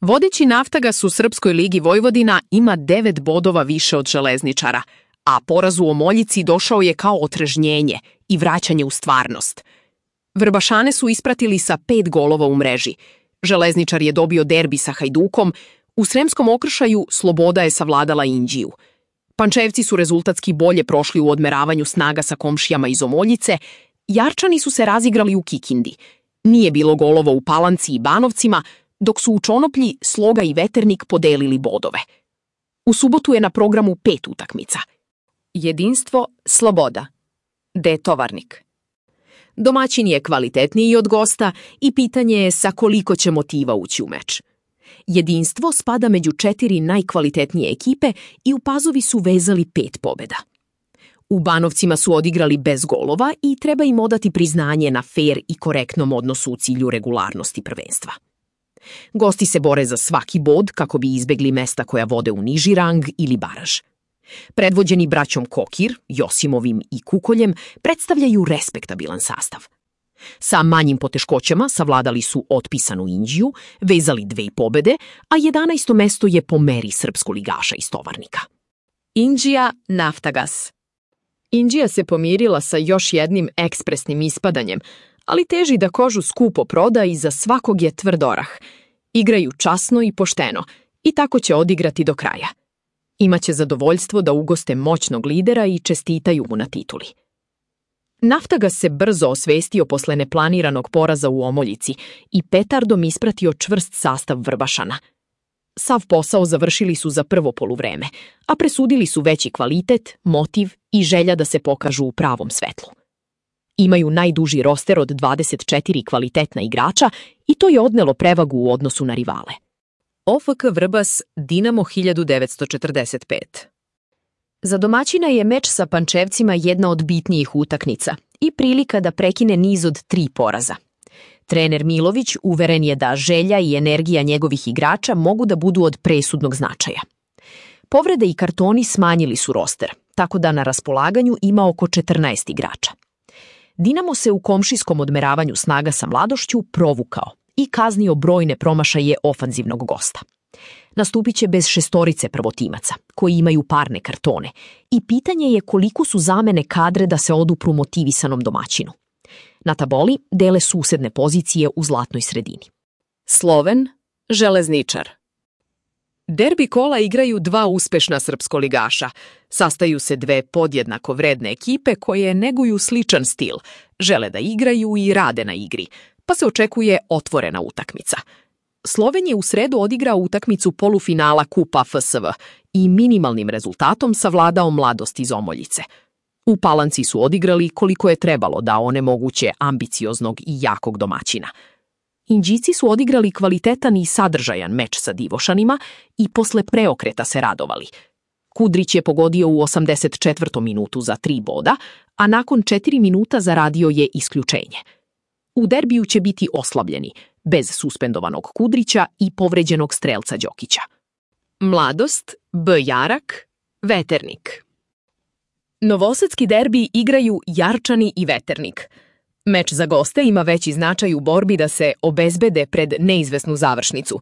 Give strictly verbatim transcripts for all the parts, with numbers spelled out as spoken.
Vodeći Naftagas u Srpskoj ligi Vojvodina ima devet bodova više od Železničara, a poraz u Omoljici došao je kao otrežnjenje i vraćanje u stvarnost. Vrbašane su ispratili sa pet golova u mreži. Železničar je dobio derbi sa Hajdukom, u Sremskom Okršaju Sloboda je savladala Inđiju. Pančevci su rezultatski bolje prošli u odmeravanju snaga sa komšijama iz Omoljice, Jarčani su se razigrali u Kikindi. Nije bilo golova u Palanci i Banovcima, dok su u Čonoplji Sloga i Veternik podelili bodove. U subotu je na programu pet utakmica. Jedinstvo, Sloboda. D. Tovarnik. Domaćin je kvalitetniji od gosta i pitanje je sa koliko će motiva ući u meč. Jedinstvo spada među četiri najkvalitetnije ekipe i u Pazovi su vezali pet pobjeda. U Banovcima su odigrali bez golova i treba im odati priznanje na fer i korektnom odnosu u cilju regularnosti prvenstva. Gosti se bore za svaki bod kako bi izbegli mesta koja vode u niži rang ili baraž. Predvođeni braćom Kokir, Josimovim i Kukoljem, predstavljaju respektabilan sastav. Sa manjim poteškoćama savladali su otpisanu Inđiju, vezali dve pobede, a jedanaesto mesto je po meri srpskoligaša iz Tovarnika. Inđija, Naftagas. Inđija se pomirila sa još jednim ekspresnim ispadanjem, ali teži da kožu skupo proda i za svakog je tvrd orah. Igraju časno i pošteno i tako će odigrati do kraja. Imaće zadovoljstvo da ugoste moćnog lidera i čestitaju mu na tituli. Naftagas se brzo osvestio posle neplaniranog poraza u Omoljici i petardom ispratio čvrst sastav Vrbašana. Sav posao završili su za prvo poluvreme, a presudili su veći kvalitet, motiv i želja da se pokažu u pravom svetlu. Imaju najduži roster od dvadeset četiri kvalitetna igrača i to je odnelo prevagu u odnosu na rivale. O F K Vrbas, Dinamo hiljadu devetsto četrdeset pet. Za domaćina je meč sa Pančevcima jedna od bitnijih utakmica i prilika da prekine niz od tri poraza. Trener Milović uveren je da želja i energija njegovih igrača mogu da budu od presudnog značaja. Povrede i kartoni smanjili su roster, tako da na raspolaganju ima oko četrnaest igrača. Dinamo se u komšijskom odmeravanju snaga sa Mladošću provukao i kaznio brojne promašaje ofanzivnog gosta. Nastupit će bez šestorice prvotimaca, koji imaju parne kartone, i pitanje je koliko su zamene kadre da se odupru motivisanom domaćinu. Na taboli dele susedne pozicije u zlatnoj sredini. Sloven, Železničar. Derbi kola igraju dva uspešna srpskoligaša. Sastaju se dve podjednako vredne ekipe koje neguju sličan stil, žele da igraju i rade na igri, pa se očekuje otvorena utakmica. Sloven je u sredu odigrao utakmicu polufinala Kupa F S V i minimalnim rezultatom savladao Mladost iz Omoljice. U Palanci su odigrali koliko je trebalo da onemoguće ambicioznog i jakog domaćina. Inđici su odigrali kvalitetan i sadržajan meč sa Divošanima i posle preokreta se radovali. Kudrić je pogodio u osamdeset četvrtom minutu za tri boda, a nakon četiri minuta zaradio je isključenje. U derbiju će biti oslabljeni, bez suspendovanog Kudrića i povređenog strelca Đokića. Mladost, B. Jarak, Veternik. Novosadski derbi igraju Jarčani i Veternik. Meč za goste ima veći značaj u borbi da se obezbede pred neizvesnu završnicu.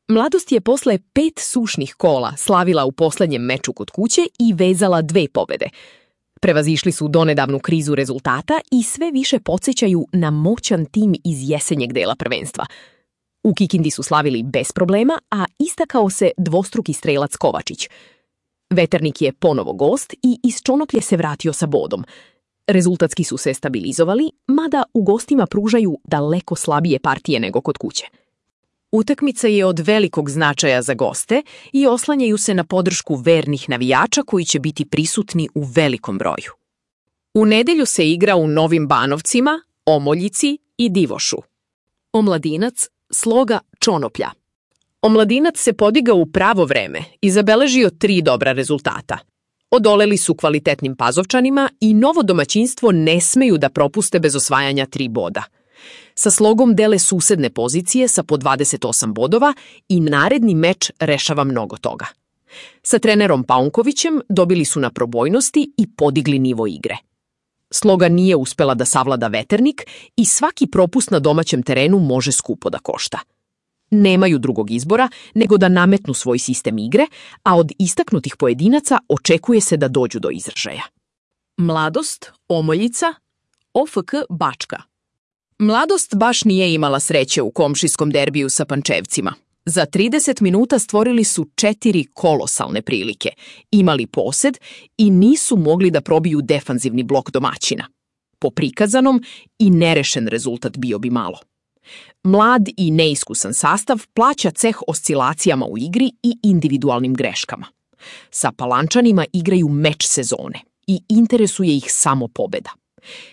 Mladost je posle pet sušnih kola slavila u poslednjem meču kod kuće i vezala dve pobede. Prevazišli su donedavnu krizu rezultata i sve više podsjećaju na moćan tim iz jesenjeg dela prvenstva. U Kikindi su slavili bez problema, a istakao se dvostruki strelac Kovačić. Veternik je ponovo gost i iz Čonoplje se vratio sa bodom. Rezultatski su se stabilizovali, mada u gostima pružaju daleko slabije partije nego kod kuće. Utakmica je od velikog značaja za goste i oslanjaju se na podršku vernih navijača koji će biti prisutni u velikom broju. U nedelju se igra u Novim Banovcima, Omoljici i Divošu. Omladinac, Sloga, Čonoplja. Omladinac se podigao u pravo vreme i zabeležio tri dobra rezultata. Odoleli su kvalitetnim Pazovčanima i novo domaćinstvo ne smeju da propuste bez osvajanja tri boda. Sa Slogom dele susedne pozicije sa po dvadeset osam bodova i naredni meč rešava mnogo toga. Sa trenerom Paunkovićem dobili su na probojnosti i podigli nivo igre. Sloga nije uspela da savlada Veternik i svaki propust na domaćem terenu može skupo da košta. Nemaju drugog izbora nego da nametnu svoj sistem igre, a od istaknutih pojedinaca očekuje se da dođu do izražaja. Mladost, Omoljica, O F K Bačka. Mladost baš nije imala sreće u komšijskom derbiju sa Pančevcima. Za trideset minuta stvorili su četiri kolosalne prilike, imali posed i nisu mogli da probiju defanzivni blok domaćina. Po prikazanom i nerešen rezultat bio bi malo. Mlad i neiskusan sastav plaća ceh oscilacijama u igri i individualnim greškama. Sa Palančanima igraju meč sezone i interesuje ih samo pobeda.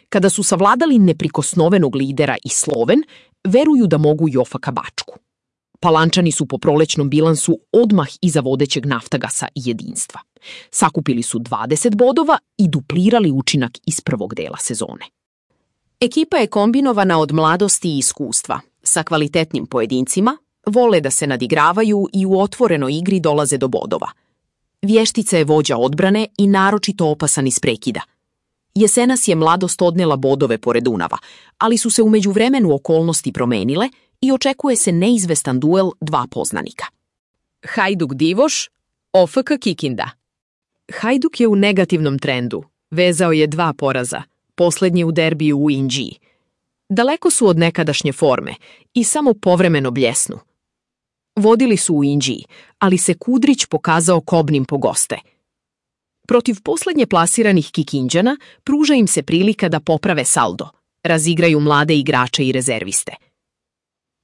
Kada su savladali neprikosnovenog lidera i Sloven, veruju da mogu i O F K Bačku. Palančani su po prolećnom bilansu odmah iza vodećeg Naftagasa i Jedinstva. Sakupili su dvadeset bodova i duplirali učinak iz prvog dela sezone. Ekipa je kombinovana od mladosti i iskustva, sa kvalitetnim pojedincima, vole da se nadigravaju i u otvorenoj igri dolaze do bodova. Vještica je vođa odbrane i naročito opasan iz prekida. Jesenas je mladost odnela bodove pored Dunava, ali su se u međuvremenu okolnosti promenile i očekuje se neizvestan duel dva poznanika. Hajduk Divoš, O F K Kikinda. Hajduk je u negativnom trendu. Vezao je dva poraza, poslednji u derbiju u Inđiji. Daleko su od nekadašnje forme i samo povremeno bljesnu. Vodili su u Inđiji, ali se Kudrić pokazao kobnim po goste. Protiv poslednje plasiranih Kikinđana pruža im se prilika da poprave saldo, razigraju mlade igrače i rezerviste.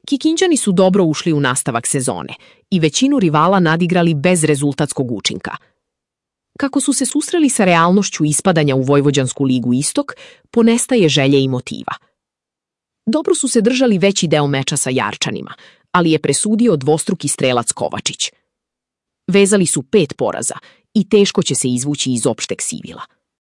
Kikinđani su dobro ušli u nastavak sezone i većinu rivala nadigrali bez rezultatskog učinka. Kako su se susreli sa realnošću ispadanja u Vojvođansku ligu Istok, ponestaje želje i motiva. Dobro su se držali veći deo meča sa Jarčanima, ali je presudio dvostruki strelac Kovačić. Vezali su pet poraza i teško će se izvući iz opšteg sivila.